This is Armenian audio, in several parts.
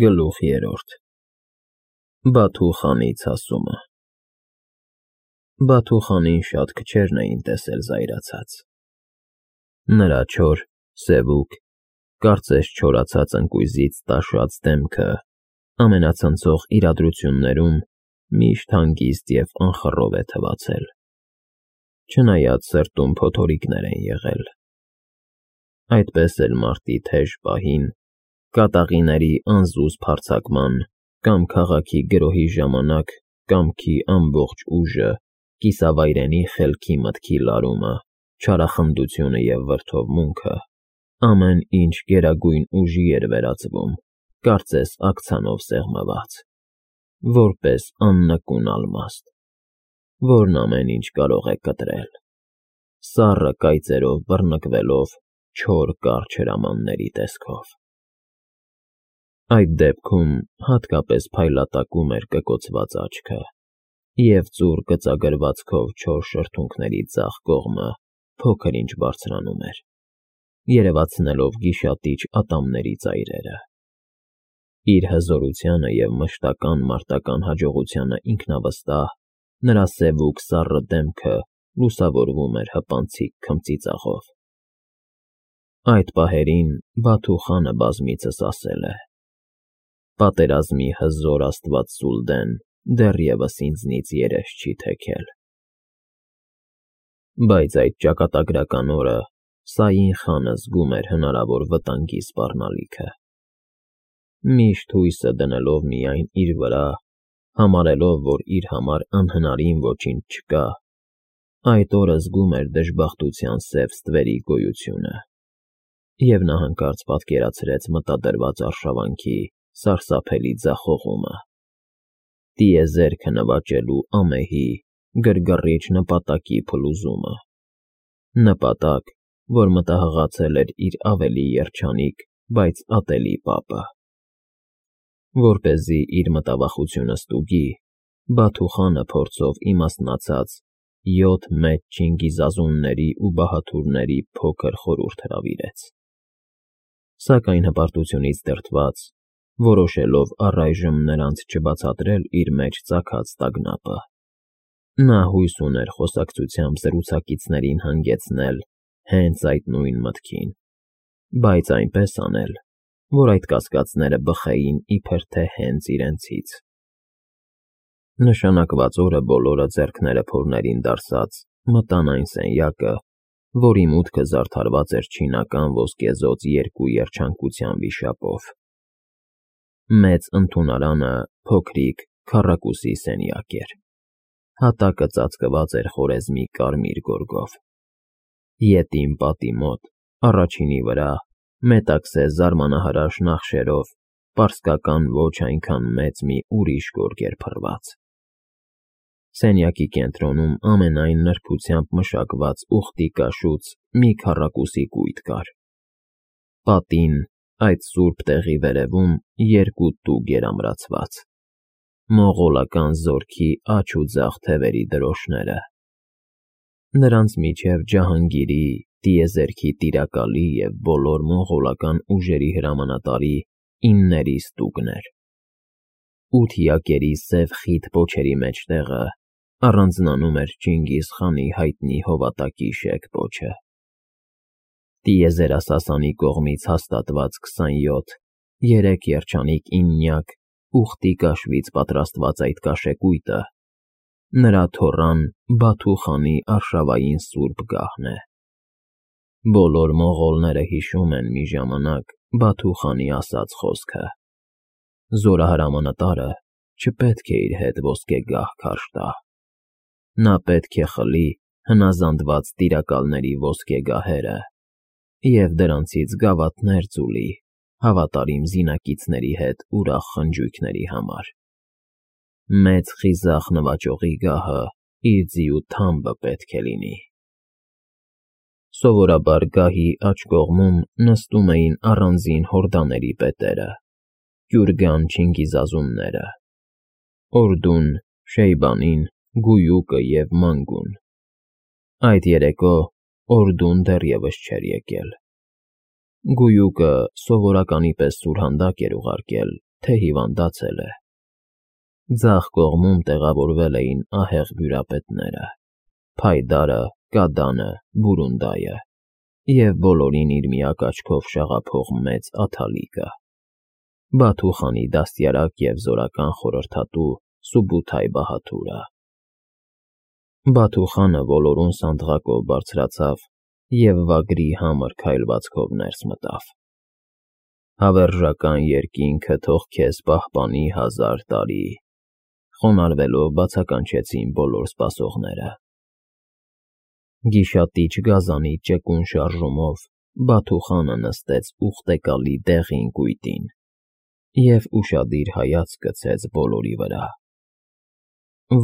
Գլուխ 3 Բաթու խանի ցասումը Բաթու խանին շատ քչերն էին տեսել զայրացած. նրա չոր, սևուկ, կարծես չորացած ընկույզից տաշած դեմքը ամենացնցող իրադրություններում միշտ հանգիստ և անխռով է թվացել, չնայած սրտում փոթորիկներ են եղել. այդպես էլ մարտի թեժ պահին, կատաղիների անզուզ փարձակման կամ քաղաքի գրոհի ժամանակ կամքի ամբողջ ուժը, կիսավայրենի խելքի մտքի լարումը, չարախնդությունը և վրդովմունքը, ամեն ինչ գերագույն ուժի էր վերածվում, կարծես աքցանով սեղմված, որպես աննկուն ալմաստ, որն ամեն ինչ կարող է կտրել, սառը կայծերով բռնկվելով չոր կարճ հրամանների տեսքով։ Այդ դեպքում հատկապես փայլատակում էր կկոցված աչքը, և ծուռ գծագրվածքով չոր շրթունքների ձախ կողմը փոքր-ինչ բարձրանում էր, երևացնելով գիշատիչ ատամների ծայրերը։ Իր հզորությանը և մշտական մարտական հաջողությանը ինքնավստահ, նրա սևուկ սառը դեմքը լուսավորվում էր հպանցիկ քմծիծաղով։ Այդ պահերին Բաթու խանը բազմիցս ասել է. «Պատերազմի հզոր աստվածծուլ դեն դեռևս ինձնից երես չի թեքել»։ Բայց այդ ճակատագրական օրը Սային խանը զգում էր հնարավոր վտանգի սպառնալիքը։ Միշտ հույսը դնելով միայն իր վրա, համարելով, որ իր համար անհնարին ոչինչ չկա, այդ օրը զգում էր դժբախտության սև ստվերի գոյությունը, և նա հանկարծ պատկերացրեց մտադրված արշավանքի սարսափելի ձախողումը, տիեզերքը նվաճելու ամեհի, գրգռիչ նպատակի փլուզումը, նպատակ, որ մտահղացել էր իր ավելի երջանիկ, բայց ատելի պապը։ Որպեսզի իր մտավախությունը ստուգի, Բաթու խանը փորձով իմաստնացած 7 մեծ չինգիզազունների ու բահաթուրների փոքր խորհուրդ հրավիրեց։ Սակայն հպարտությունից դրդված, որոշելով առայժմ նրանց չբացատրել իր մեջ ծագած տագնապը, նա հույս ուներ խոսակցությամբ զրուցակիցներին հանգեցնել հենց այդ նույն մտքին, բայց այնպես անել, որ այդ կասկածները բխեին իբր թե հենց իրենցից։ Նշանակված օրը բոլորը ձեռքները փորներին դարսած մտան այն սենյակը, որի մուտքը զարդարված էր չինական ոսկեզօծ երկու երջանկության վիշապով։ Մեծ ընդունարանը փոքրիկ քառակուսի սենյակ էր, հատակը ծածկված էր խորեզմի կարմիր գորգով։ Ետին պատի մոտ, առաջինի վրա, մետաքսե զարմանահրաշ նախշերով, պարսկական ոչ այնքան մեծ մի ուրիշ գորգ էր փռված։ Սենյակի կենտրոնում ամենայն նրբությամբ մշակված ուխտի կաշուց մի քառակուսի կույտ կար։ Պատին, այդ սուրբ տեղի վերևում, երկու տուգ էր ամրացված, մողոլական զորքի աջ ու ձախ թևերի դրոշները, նրանց միջև Ջահանգիրի, տիեզերքի տիրակալի և բոլոր մոնղոլական ուժերի հրամանատարի 9 ստուգներ։ 8 յակերի սև խիտ պոչերի մեջտեղը առանձնանում էր Չինգիզ խանի հայտնի հովատակի շեկ պոչը։ Տիեզերասասանի կողմից հաստատված 27, 3 երջանիկ իննյակ ուխտի կաշվից պատրաստված այդ կաշեկույտը նրա թոռան Բաթու խանի արշավային սուրբ գահն է։ Բոլոր մոնղոլները հիշում են մի ժամանակ Բաթու խանի ասած խոսքը. «Զորահրամանատարը չպետք է իր հետ ոսկե գահ քարշ տա, նա պետք է խլի հնազանդված տիրակալների ոսկե գահերը և դրանցից գավաթներ ձուլի հավատարիմ զինակիցների հետ ուրախ խնջույքների համար։ Մեծ խիզախ նվաճողի գահը իր ձիու թամբը պետք է լինի»։ Սովորաբար գահի աջ կողմում նստում էին առանձին հորդաների պետերը, կյուրգան չինգիզազունները՝ Օրդուն, Շեյբանին, Գույուկը և Մանգուն։ Այդ երեկո Օրդուն դեռևս չէր եկել։ Գույուկը սովորականի պես սուրհանդակ էր ուղարկել թե հիվանդացել է։ Ձախ կողմում տեղավորվել էին ահեղ բյուրապետները՝ Փայդարը, Կադանը, Բուրունդայը և բոլորին իր միակ աչքով շաղափող մեծ աթալիկը, Բաթու խանի դաստիարակ և զորական խորհրդատու Սուբութայ Բահադուրը։ Բաթու խանը ոլորուն սանդղակով բարձրացավ և վագրի համր քայլվածքով ներս մտավ։ «Հավերժական երկինքը թող քեզ պահպանի 1000 տարի», խոնարհվելով բացականչեցին բոլոր սպասողները։ Գիշատիչ գազանի ճկուն շարժումով Բաթու խանը նստեց ուխտեկալի դեղին կույտին և ուշադիր հայացք գցեց բոլորի վրա։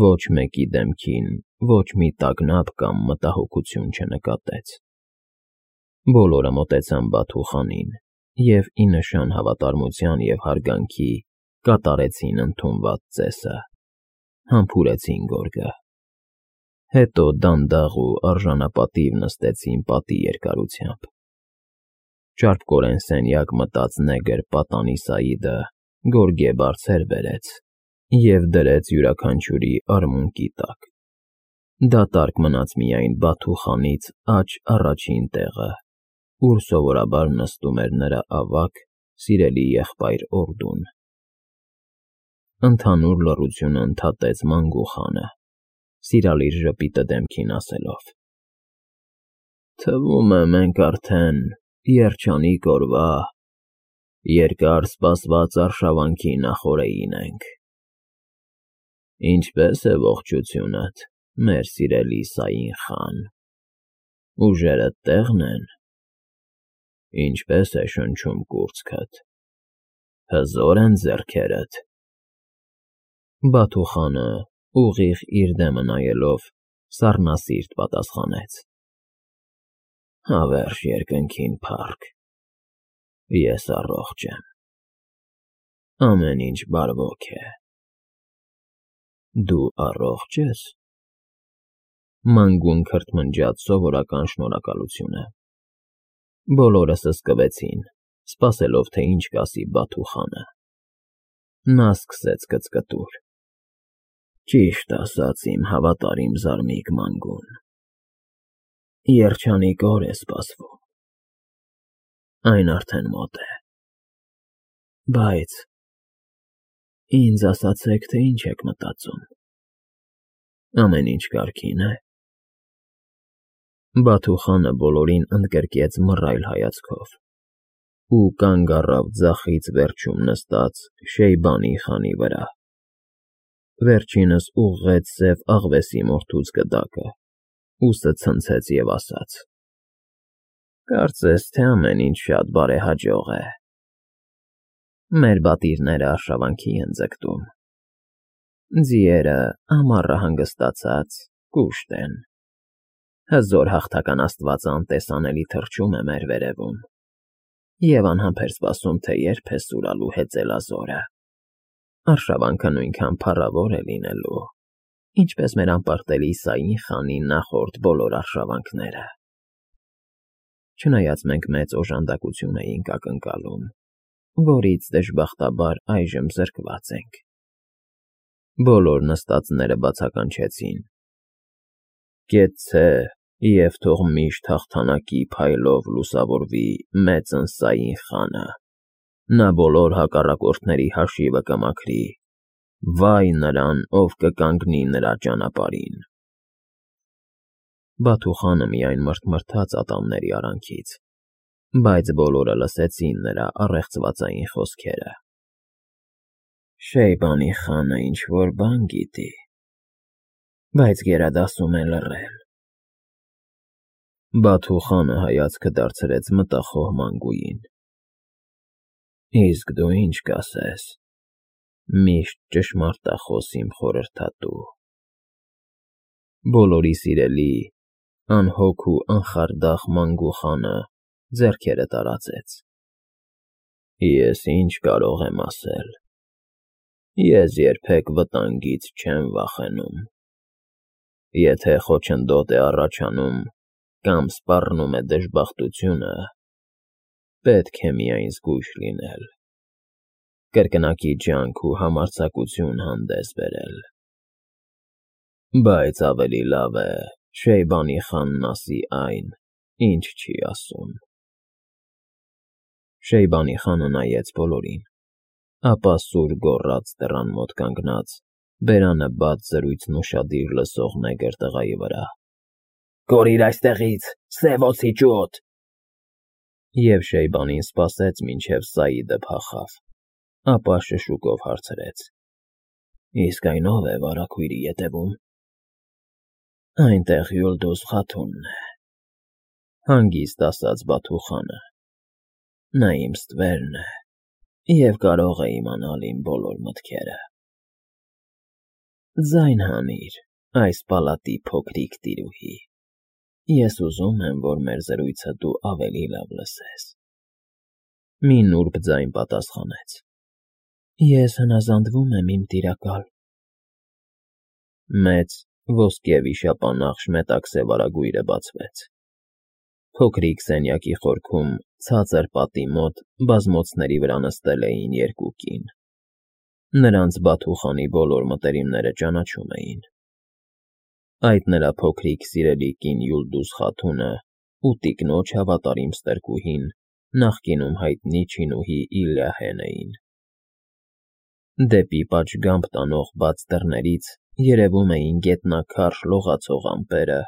Ոչ մեկի դեմքին ոչ մի տագնապ կամ մտահոգություն չնկատեց։ Բոլորը մոտեցան Բաթու խանին և ի նշան հավատարմության և հարգանքի կատարեցին ընդունված ծեսը, համբուրեցին գորգը։ Հետո դանդաղ ու արժանապատիվ նստեցին պատի երկարությամբ։ Ճարպկորեն սենյակ մտած նեգր պատանի Սաիդը գորգե բարձեր բերեց և դրեց յուրաքանչյուրի արմունկի տակ։ Դատարկ մնաց միայն Բաթու խանից աջ առաջին տեղը, ուր սովորաբար նստում էր նրա ավագ, սիրելի եղբայր Օրդուն։ Ընդհանուր լռությունը ընդհատեց Մանգու խանը, սիրալիր ժպիտը դեմքին ասելով. «Թվում է մենք արդեն երջանիկ օրվա, երկար սպասված արշավանքի նախօրեին ենք։ Ինչպե՞ս է ողջությունդ, մեր սիրելի Սաին խան, ուժերդ տեղ՞ն են։ Ինչպե՞ս է շնչում կուրծքդ, հզո՞ր են ձեռքերդ»։ Բաթու խանը, ուղիղ իր դեմը նայելով, սառնասիրտ պատասխանեց. «Հավերժ երկնքին փառք, ես առողջ եմ, ամեն ինչ բարվոք է։ Դու առողջ ես»։ Մանգուն քրթմնջաց սովորական շնորհակալությունը։ Բոլորը սսկվեցին, սպասելով, թե ինչ կասի Բաթու խանը։ Նա սկսեց կծկտուր. «Ճիշտ ասած, իմ հավատարիմ զարմիկ Մանգուն, երջանիկ օր է սպասվում, այն արդեն մոտ է, բայց ինձ ասացեք, թե ինչ եք մտածում, ամեն ինչ կարգի՞ն է»։ Բաթու խանը բոլորին ընդգրկեց մռայլ հայացքով ու կանգ առավ ձախից վերջում նստած Շեյբանի խանի վրա։ Վերջինս ուղղեց սև աղվեսի մորթուց գդակը, ուսը ցնցեց և ասաց. «Կարծես թե ամեն ինչ շատ բարեհաջող է։ Մեր պատիռները արշավանքի են ձգտում, ձիերը, ամառը հանգստացած, կուշտ են, հզոր հաղթական աստվածը անտեսանելի թռչում է մեր վերևում և անհամբեր սպասում, թե երբ է սուրալու հեծելազորը։ Արշավանքը նույնքան փառավոր է լինելու, ինչպես մեր անպարտելի Սաին խանի նախորդ բոլոր արշավանքները։ Չնայած մենք մեծ օժանդակություն էինք ակնկալում, որից դժբախտաբար այժմ զրկված ենք»։ Բոլոր նստածները բացականչեցին. «Կեցցե և թող միշտ հաղթանակի փայլով լուսավորվի մեծն Սաին խանը, նա բոլոր հակառակորդների հաշիվը կմաքրի, վայ նրան, ով կկանգնի նրա ճանապարհին»։ Բաթու խանը միայն մռթմռթաց ատամների արանքից, բայց բոլորը լսեցին նրա առեղծվածային խոսքերը։ «Շեյբանի խանը ինչ֊որ բան գիտի, բայց գերադասում է լռել»։ Բաթու խանը հայացքը դարձրեց մտախոհ Մանգուին։ «Իսկ դու ինչ կասես, միշտ ճշմարտախոս իմ խորհրդատու»։ Բոլորի սիրելի, անհոգ ու անխարդախ Մանգու խանը ձեռքերը տարածեց։ «Ես ինչ կարող եմ ասել։ Ես երբեք վտանգից չեմ վախենում։ Եթե խոչընդոտ է առաջանում կամ սպառնում է դժբախտությունը, պետք է միայն զգույշ լինել։ կրկնակի ջանք ու համարձակություն հանդես բերել։ Բայց ավելի լավ է Շեյբանի խանն ասի այն, ինչ չի ասում։ Շեյբանի խանը նայեց բոլորին, ապա սուր գոռաց դռան մոտ կանգնած, բերանը բաց զրույցն ուշադիր լսող նեգր տղայի վրա. «Կորիր այստեղից, սև օձի ճուտ»։ Եվ Շեյբանին սպասեց, մինչև Սաիդը փախավ, ապա շշուկով հարցրեց. «Իսկ այն ով է վարագույրի ետևում»։ «Այնտեղ Յուլդուզ Խաթունն է», հանգիստ ասաց Բաթուխանը։ «Նա իմ ստվերն է և կարող է իմանալ իմ բոլոր մտքերը»։ «Ձայն հանիր, այս պալատի փոքրիկ տիրուհի, ես ուզում եմ, որ մեր զրույցը դու ավելի լավ լսես»։ Մի նուրբ ձայն պատասխանեց. «Ես հնազանդվում եմ, իմ տիրակալ»։ Մեծ ոսկե վիշապանախշ մետաքսե վարագույրը բացվեց։ Փոքրիկ սենյակի խորքում, ցածր պատի մոտ բազմոցների վրա նստել էին երկու կին։ Նրանց Բաթուխանի բոլոր մտերիմները ճանաչում էին։ Այդ նրա փոքրիկ սիրելի կին Յուլդուզ Խաթունը ու տիկնոջ հավատարիմ ստրկուհին նախկինում հայտնի չինուհի Իլիահեն էին։ Դեպի պատշգամբ տանող բաց դռներից երևում էին գետնաքարշ լողացող ամպերը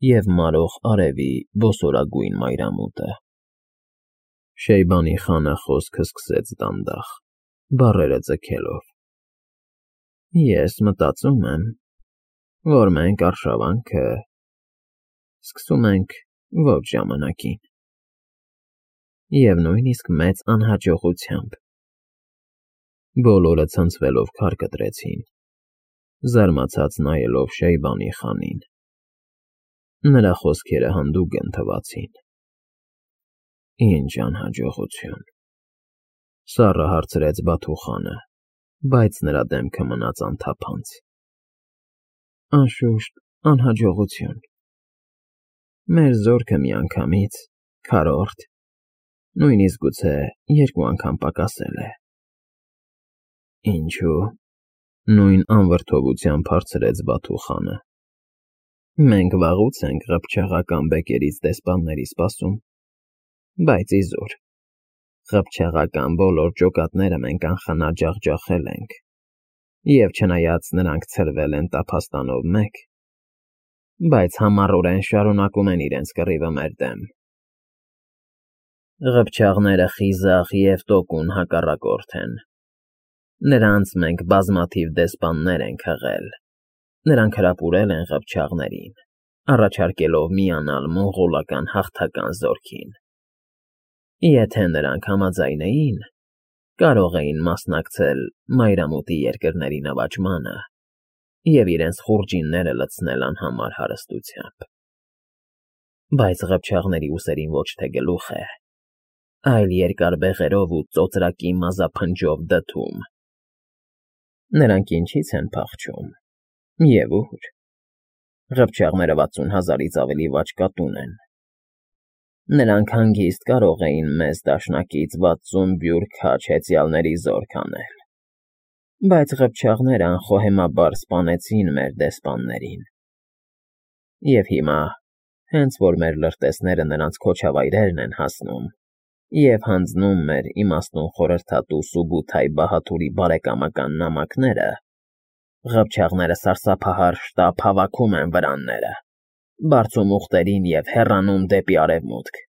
և մարող արևի բոսորագույն մայրամուտը։ Շեյբանի խանը խոսքը սկսեց դանդաղ, բառերը ձգելով. «Ես մտածում եմ, որ մենք արշավանքը սկսում ենք ոչ ժամանակին և նույնիսկ մեծ անհաջողությամբ»։ Բոլորը ցնցվելով քար կտրեցին, զարմացած նայելով Շեյբանի խանին։ Նրա խոսքերը հանդուգն թվացին։ «Ինչ անհաջողություն»։ Սառը հարցրեց Բաթուխանը, բայց նրա դեմքը մնաց անթափանց։ «Անշուշտ, անհաջողություն։ Մեր զորքը միանգամից, քառորդ, նույնիսկ գուցե երկու անգամ պակասել է»։ «Ինչու՞», նույն անվրդովությամբ հարցրեց Բաթուխանը։ «Մենք վաղուց ենք ղփչաղական բեկերից դեսպանների սպասում, բայց իզուր, ղփչաղական բոլոր ջոկատները մենք անխնա ջախջախել ենք, և չնայած նրանք ցրվել են տափաստանով մեկ, բայց համառորեն շարունակում են իրենց կռիվը մեր դեմ։ Ղփչաղները խիզախ և տոկուն հակառակորդ են։ Նրանց մենք բազմաթիվ դեսպաններ ենք հղել, նրանք հրապուրել են ղփչաղներին, առաջարկելով միանալ մոնղոլական հաղթական զորքին։ Եթե նրանք համաձայնեին, կարող էին մասնակցել մայրամուտի երկրների նվաճմանը և իրենց խուրջինները լցնել անհամար հարստությամբ։ Բայց ղփչաղների ուսերին ոչ թե գլուխ է, այլ երկար բեղերով ու ծոծրակի մազափնջով դդում։ Նրանք ինչի՞ց են փախչում և ուր։ Ղփչաղները 60,000-ից ավելի վաճկատուն են։ Նրանք հանգիստ կարող էին մեզ դաշնակից 60 բյուրք քաջ հեծյալների զորք անել, բայց ղփչաղները անխոհեմաբար սպանեցին մեր դեսպաններին։ Եվ հիմա, հենց որ մեր լրտեսները նրանց քոչավայրերն են հասնում և հանձնում մեր իմաստուն խորհրդատու Սուբութայ Բահադուրի բարեկամական նամակները, ղփչաղները սարսափահար շտապ հավաքում են վրանները, բարձում ուղտերին և հեռանում դեպի արևմուտք։